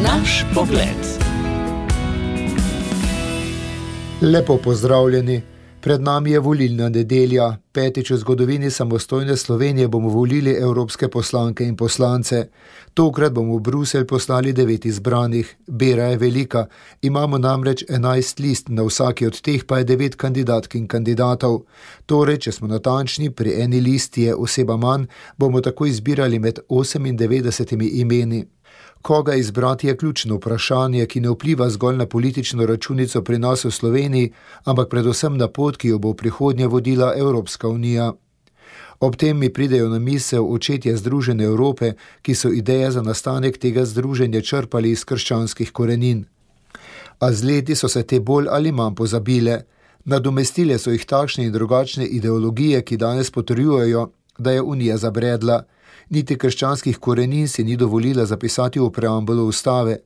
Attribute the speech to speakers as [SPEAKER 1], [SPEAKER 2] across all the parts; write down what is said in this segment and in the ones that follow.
[SPEAKER 1] Naš pogled.
[SPEAKER 2] Lepo pozdravljeni. Pred nami je volilna nedelja. Petič v zgodovini samostojne Slovenije bomo volili evropske poslanke in poslance. Tokrat bomo v Bruselj poslali 9 izbranih. Bera je velika. Imamo namreč 11 list, na vsaki od teh pa je 9 kandidatk in kandidatov. Torej, če smo natančni, pri eni listi je oseba manj, bomo tako izbirali med 98 imeni. Koga izbrati je ključno vprašanje, ki ne vpliva zgolj na politično računico pri nas v Sloveniji, ampak predvsem na pot, ki jo bo v prihodnje vodila Evropska unija. Ob tem mi pridejo na misel očetje Združene Evrope, ki so ideje za nastanek tega združenja črpali iz krščanskih korenin. A z leti so se te bolj ali manj pozabile. Nadomestile so jih takšne in drugačne ideologije, ki danes potrjujejo, da je unija zabredla. Niti krščanskih korenin si ni dovolila zapisati v preambulu ustave.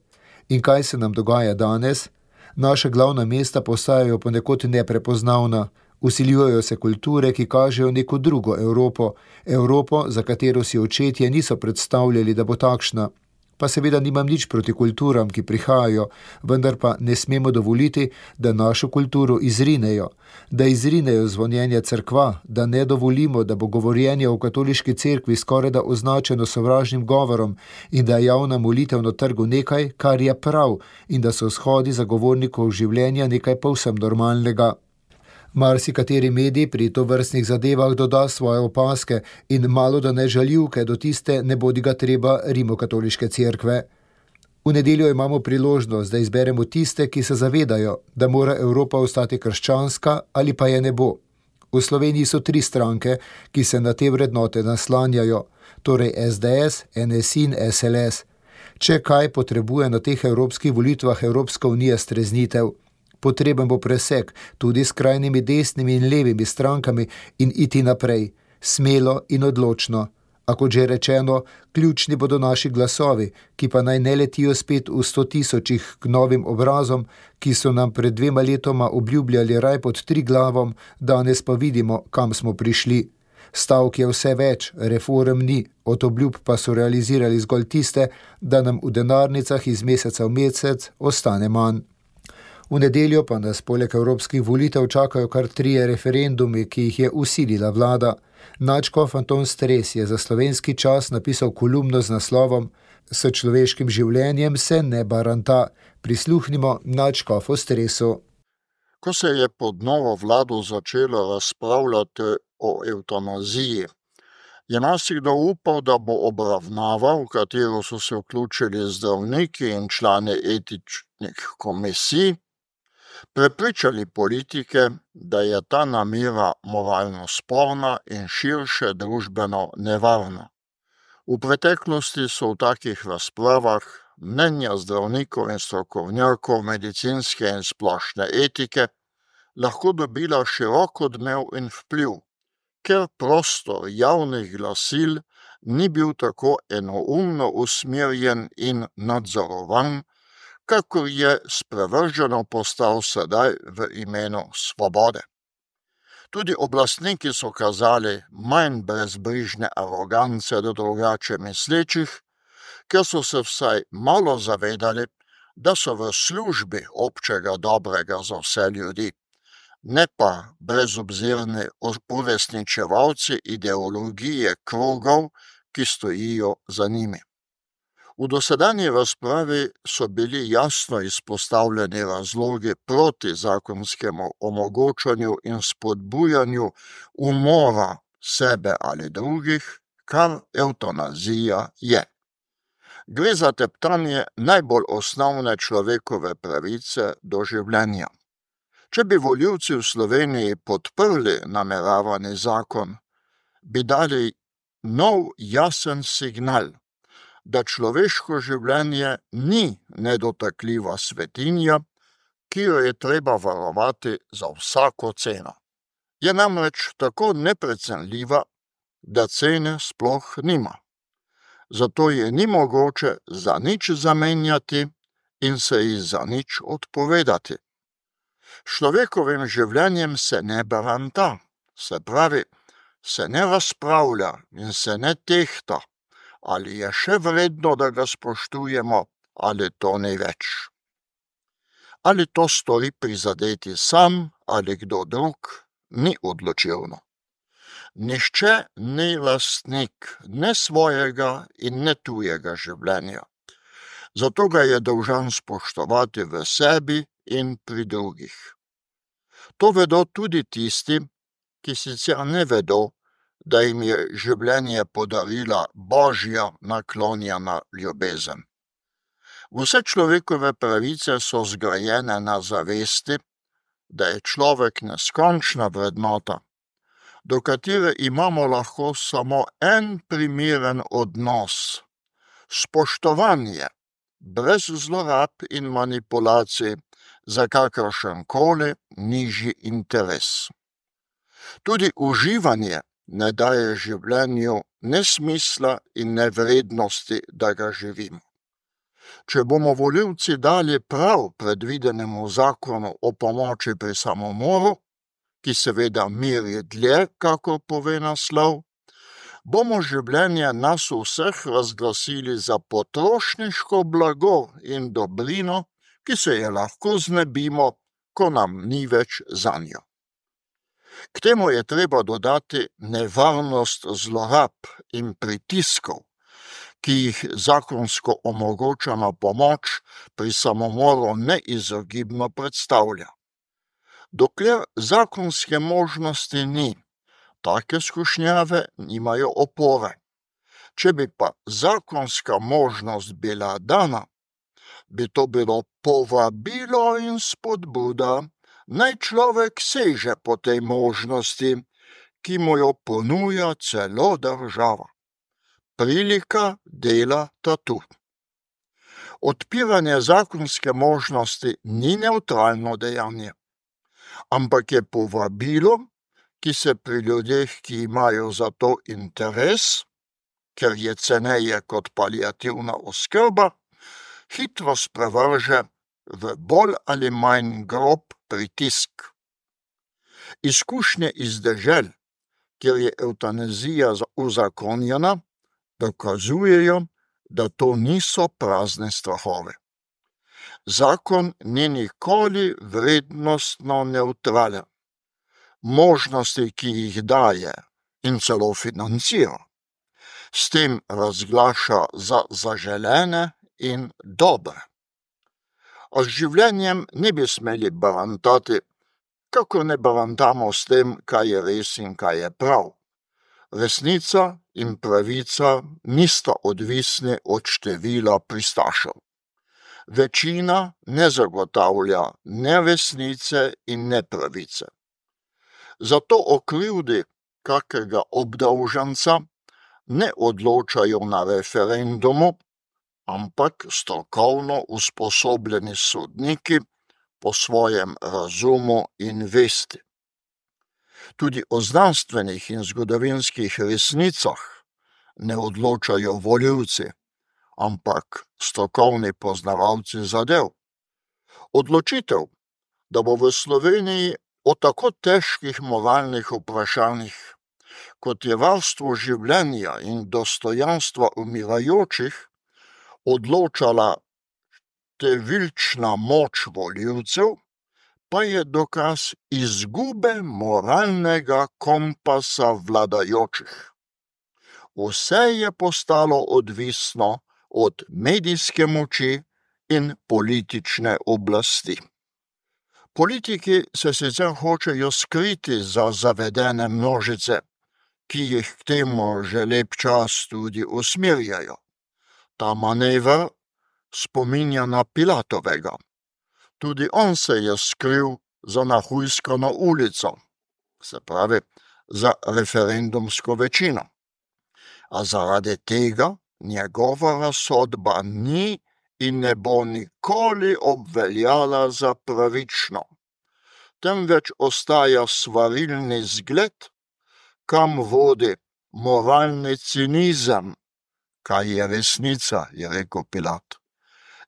[SPEAKER 2] In kaj se nam dogaja danes? Naša glavna mesta postajajo ponekod neprepoznavna. Vsiljujejo se kulture, ki kažejo neko drugo Evropo. Evropo, za katero si očetje niso predstavljali, da bo takšna. Pa seveda nimam nič proti kulturam, ki prihajajo, vendar pa ne smemo dovoliti, da našo kulturo izrinejo. Da izrinejo zvonjenje cerkva, da ne dovolimo, da bo govorjenje o katoliški cerkvi skorajda označeno sovražnim govorom in da je javna molitev na trgu nekaj, kar je prav, in da so shodi zagovornikov življenja nekaj povsem normalnega. Marsikateri medij pri tovrstnih zadevah doda svoje opaske in malo da ne žaljivke do tiste nebodiga treba rimokatoliške cerkve. V nedeljo imamo priložnost, da izberemo tiste, ki se zavedajo, da mora Evropa ostati krščanska ali pa je ne bo. V Sloveniji so 3 stranke, ki se na te vrednote naslanjajo, torej SDS, NSI in SLS. Če kaj potrebuje na teh evropskih volitvah Evropska unija streznitev, potreben bo presek tudi s skrajnimi desnimi in levimi strankami in iti naprej, smelo in odločno. A kot že rečeno, ključni bodo naši glasovi, ki pa naj ne letijo spet v 100 tisočih k novim obrazom, ki so nam pred 2 letoma obljubljali raj pod 3 glavom, danes pa vidimo, kam smo prišli. Stavk je vse več, reform ni, od obljub pa so realizirali zgolj tiste, da nam v denarnicah iz meseca v mesec ostane manj. V nedeljo pa nas poleg evropskih volitev čakajo kar 3 referendumi, ki jih je vsilila vlada. Nadškof Anton Stres je za Slovenski čas napisal kolumno z naslovom S človeškim življenjem se ne baranta. Prisluhnimo nadškofu Stresu.
[SPEAKER 3] Ko se je pod novo vlado začelo razpravljati o evtanaziji, je marsikdo upal, da bo obravnava, v katero so se vključili zdravniki in člani etičnih komisij, prepričali politike, da je ta namera moralno sporna in širše družbeno nevarna. V preteklosti so v takih razpravah mnenja zdravnikov in strokovnjakov medicinske in splošne etike lahko dobila širok odmev in vpliv, ker prostor javnih glasil ni bil tako enoumno usmerjen in nadzorovan, kakor je sprevrženo postal sedaj v imenu svobode. Tudi oblastniki so kazali manj brezbrižne arogance do drugače mislečih, ker so se vsaj malo zavedali, da so v službi občega dobrega za vse ljudi, ne pa brezobzirni uresničevalci ideologije krogov, ki stojijo za njimi. V dosedanji razpravi so bili jasno izpostavljeni razlogi proti zakonskemu omogočanju in spodbujanju umora sebe ali drugih, kar evtanazija je. Gre za teptanje najbolj osnovne človekove pravice do življenja. Če bi volivci v Sloveniji podprli nameravani zakon, bi dali nov jasen signal, da človeško življenje ni nedotakljiva svetinja, ki jo je treba varovati za vsako ceno. Je namreč tako neprecenljiva, da cene sploh nima. Zato je ni mogoče za nič zamenjati in se ji za nič odpovedati. Človekovim življenjem se ne baranta, se pravi, se ne razpravlja in se ne tehta, ali je še vredno, da ga spoštujemo ali to ni več. Ali to stori prizadeti sam ali kdo drug, ni odločilno. Nihče ni lastnik ne svojega in ne tujega življenja. Zato ga je dolžan spoštovati v sebi in pri drugih. To vedo tudi tisti, ki sicer ne vedo, da jim je življenje podarila Božja naklonjena ljubezen. Vse človekove pravice so zgrajene na zavesti, da je človek neskončna vrednota, do katere imamo lahko samo en primeren odnos, spoštovanje, brez zlorab in manipulacij, za kakršenkoli nižji interes. Tudi uživanje ne daje življenju ne smisla in ne vrednosti, da ga živimo. Če bomo volivci dali prav predvidenemu zakonu o pomoči pri samomoru, ki seveda meri dlje, kakor pove naslov, bomo življenje nas vseh razglasili za potrošniško blago in dobrino, ki se je lahko znebimo, ko nam ni več zanjo. K temu je treba dodati nevarnost zlorab in pritiskov, ki jih zakonsko omogočena pomoč pri samomoru neizogibno predstavlja. Dokler zakonske možnosti ni, take skušnjave nimajo opore. Če bi pa zakonska možnost bila dana, bi to bilo povabilo in spodbuda, naj človek seže po tej možnosti, ki mu jo ponuja celo država. Prilika dela tatu. Odpiranje zakonske možnosti ni nevtralno dejanje, ampak je povabilo, ki se pri ljudeh, ki imajo za to interes, ker je ceneje kot paliativna oskrba, hitro sprevrže v bolj ali manj grob pritisk. Izkušnje iz dežel, kjer je evtanazija uzakonjena, dokazujejo, da to niso prazne strahove. Zakon ni nikoli vrednostno nevtralen. Možnosti, ki jih daje in celo financira, s tem razglaša za zaželene in dobre. A z življenjem ne bi smeli barantati, kako ne barantamo s tem, kaj je res in kaj je prav. Resnica in pravica nista odvisni od števila pristašev. Večina ne zagotavlja ne resnice in ne pravice. Zato o krivdi kakega obdolženca ne odločajo na referendumu, ampak strokovno usposobljeni sodniki po svojem razumu in vesti. Tudi o znanstvenih in zgodovinskih resnicah ne odločajo volivci, ampak strokovni poznavalci zadev. Odločitev, da bo v Sloveniji o tako težkih moralnih vprašanjih, kot je varstvo življenja in dostojanstva umirajočih, odločala številčna moč volivcev, pa je dokaz izgube moralnega kompasa vladajočih. Vse je postalo odvisno od medijske moči in politične oblasti. Politiki se sicer hočejo skriti za zavedene množice, ki jih k temu že lep čas tudi usmerjajo. Ta manever spominja na Pilatovega. Tudi on se je skril za nahujskano ulico, se pravi za referendumsko večino. A zaradi tega njegova razsodba ni in ne bo nikoli obveljala za pravično, temveč ostaja svarilni zgled, kam vodi moralni cinizem, kaj je resnica, je rekel Pilat,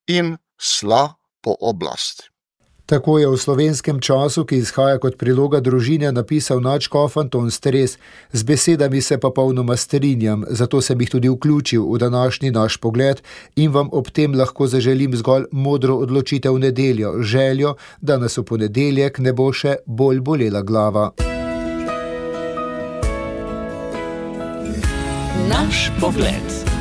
[SPEAKER 3] in sla po oblasti.
[SPEAKER 2] Tako je v Slovenskem času, ki izhaja kot priloga Družine, napisal nadškof Anton Stres. Z besedami se pa popolnoma strinjam, zato sem jih tudi vključil v današnji naš pogled in vam ob tem lahko zaželim zgolj modro odločitev v nedeljo, željo, da nas v ponedeljek ne bo še bolj bolela glava.
[SPEAKER 1] Naš pogled.